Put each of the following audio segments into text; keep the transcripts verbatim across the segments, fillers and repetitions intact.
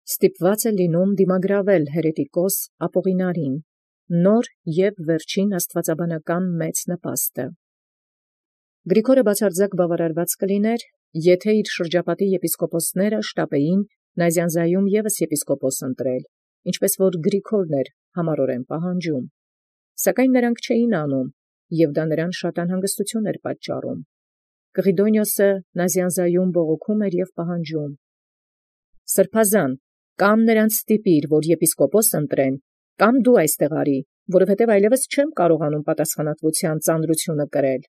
ստիպված է լինում դիմագրավել հերետիկոս Ապողինարին, նոր և վերջին աստուածաբանական մեծ նպաստը։ Գրիգորը բացարձակ բավարարված կլիներ, եթե իր շրջապատի եպիսկոպոսները շտապեին Նազյանզայում ևս եպիսկոպոս ընտրել, ինչպես որ Գրիգորն էր համառորեն պահանջում, սակայն նրանք չէին անում, և դա նրան շատ անհանգստություն էր պատճառում։ Կղիդոնիոսը Նազյանզայում բողոքում էր և պահանջում. «Սրբազան, կամ նրանց ստիպիր, որ եպիսկոպոս ընտրեն, կամ դու այստեղ արի, որովհետև այլևս չեմ կարողանում պատասխանատվության ծանրությունը կրել»։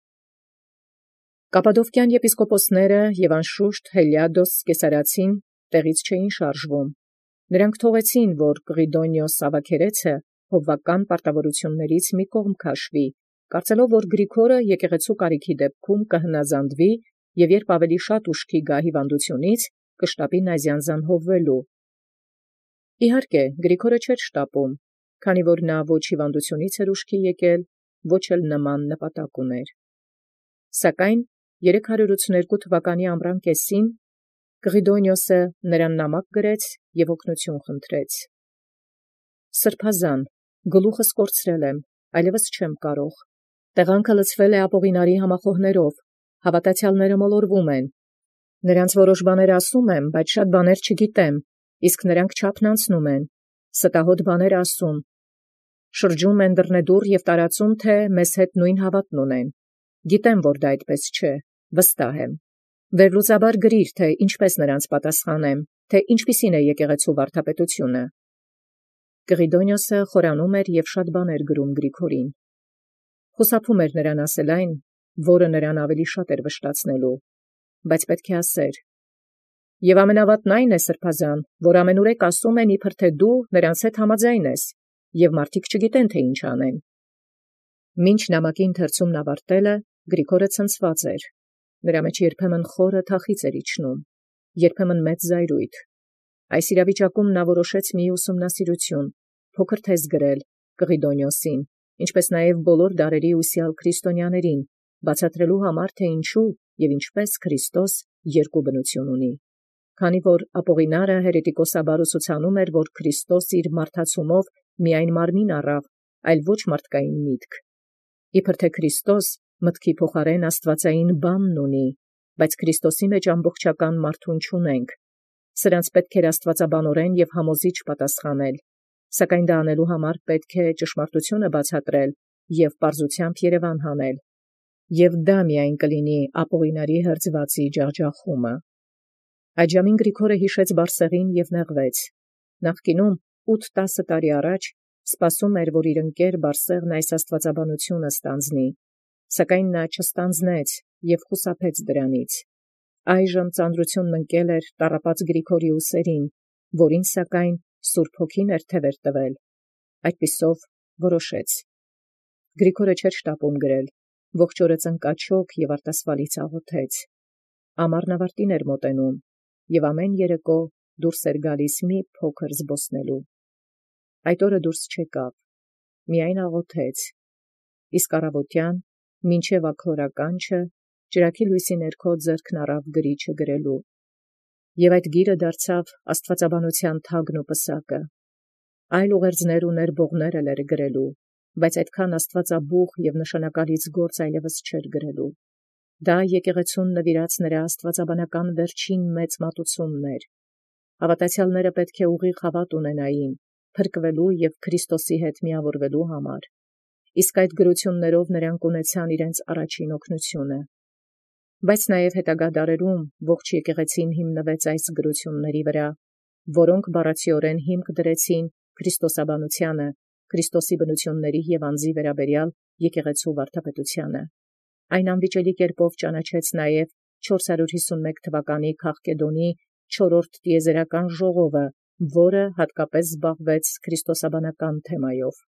Կապադովկյան եպիսկոպոսները և անշուշտ Հելիադոս կեսարացին տեղից չէին շարժվում։ Նրանք թողեցին, որ Կղիդոնիոս Ավագերեցը հովվական պարտավորություններից մի կողմ քաշվի, կարծելով, որ Գրիգորը եկեղեցու կարիքի դեպքում կհնազանդվի և երբ ավելի շատ ուշքի գա հիվանդությունից, կշտապի Նազյանզան հովվելու։ Իհարկե, Գրիգորը չէր շտապում, քանի որ նա ոչ հիվանդությունից էր ուշքի եկել, ոչ էլ նման նպատակ ուներ։ Սակայն երեք հարյուր ութսուներկու թվականի ամռան կեսին Կղիդոնիոսը նրան նամակ գրեց և օգնություն խնդրեց. «Սրբազան, գլուխս կորցրել եմ, այլևս չեմ կարող։ Տեղանքը լցվել է Ապողինարի համախոհներով, հավատացյալները մոլորվում են։ Նրանց որոշ բաներ ասում եմ, բայց շատ բաներ չգիտեմ, իսկ նրանք չափն անցնում են, ստահոդ բաներ ասում։ Շրջում են դռնեդուռ և տարածում, թե մեզ հետ նույն հավատն ունեն։ Գիտեմ, որ դա այդպես չէ, վստահ եմ։ Վերլուծաբար գրիր, թե ինչպես նրանց պատասխանեմ, թե ինչպիսին է եկեղեցու վարդապետությունը»։ Կղիդոնիոսը խորանում էր և շատ բաներ գրում Գրիգորին։ Խուսափում էր նրան ասել այն, որը նրան ավելի շատ էր վշտացնելու, բայց պետք է ասեր. «Եվ ամենավատն այն է, սրբազան, որ ամենուրեք ասում են, իբր թե դու նրանց հետ համաձայն ես, և մարդիկ չգիտեն, թե ինչ անեն»։ Մինչ նամակի ընթերցումն ավարտելը Գրիգորը ցնցված էր։ Նրա մեջ երբեմն խորը թախիծ էր իջնում, երբեմն մեծ զայրույթ։ Այս իրավիճակում նա որոշեց մի ուսումնասիրություն, փոքր թեզ գրել Կղիդոնիոսին, ինչպես նաև բոլոր դարերի ուսյալ քրիստոնյաներին, բացատրելու համար, թե ինչու և ինչպես Քրիստոս երկու բնություն ունի։ Քանի որ Ապողինարը հերետիկոսաբար ուսուցանում էր, որ Քրիստոս իր մարդացումով միայն մարմին առավ, այլ ոչ մարդկային միտք, իբր թե Քրիստոս մտքի փոխարեն աստվածային բանն ունի, բայց Քրիստոսի մեջ ամբողջական մարդուն չունենք, սրանց պետք էր աստվածաբանորեն և համոզիչ պատասխանել, սակայն դա անելու համար պետք է ճշմարտությունը բացատրել և պարզությամբ երևան հանել, և դա միայն կլինի Ապողինարի հրձվածի ջախջախումը։ Այդժամին Գրիգորը հիշեց Բարսեղին և նեղվեց։ Նախկինում ութ-տասը տարի առաջ սպասում էր, որ իր ընկեր Բարսեղն այս աստվածաբանությունը ստանձնի, սակայն նա չստանձնեց և խուսափեց դրանից։ Այժմ ծանրությունն ընկել էր տառապած Գրիգորի ուսերին, որին սակայն Սուրբ Հոգին էր թևեր տվել։ Այդպիսով որոշեց։ Գրիգորը չէր շտապում գրել, ողջ օրը ծնկաչոք և արտասվալից աղոթեց։ Ամառն ավարտին էր մոտենում, և ամեն երեկո դուրս էր գալիս մի փոքր զբոսնելու։ Այդ օրը դուրս չեկավ, միայն աղոթեց, իսկ առավոտյան, մինչև աքլորականչը, ճրագի լույսի ներքո ձեռքն առավ գրիչը գրելու։ Եվ այդ գիրը դարձավ աստվածաբանության թագն ու պսակը։ Այլ ուղերձներ ու ներբողներ էլ էր գրելու, բայց այդքան աստվածաբուխ և նշանակալից գործ այլևս չէր գրելու։ Դա եկեղեցուն նվիրած նրա աստվածաբանական վերջին մեծ մատուցումն էր։ Հավատացյալները պետք է ուղիղ հավատ ունենային, փրկվելու և Քրիստոսի հետ միավորվելու համար, իսկ այդ գրություններով նրանք ունեցան իրենց առաջին օգնությունը։ Բայց նաև հետագա դարերում ողջ եկեղեցին հիմնվեց այս գրությունների վրա, որոնք բառացիորեն հիմք դրեցին քրիստոսաբանությանը, Քրիստոսի բնությունների և անձի վերաբերյալ եկեղեցու վարդապետությանը։ Այն անվիճելի կերպով ճանաչեց նաև չորս հարյուր հիսունմեկ թվականի Քաղկեդոնի չորրորդ տիեզերական ժողովը, որը հատկապես զբաղվեց քրիստոսաբանական թեմայով։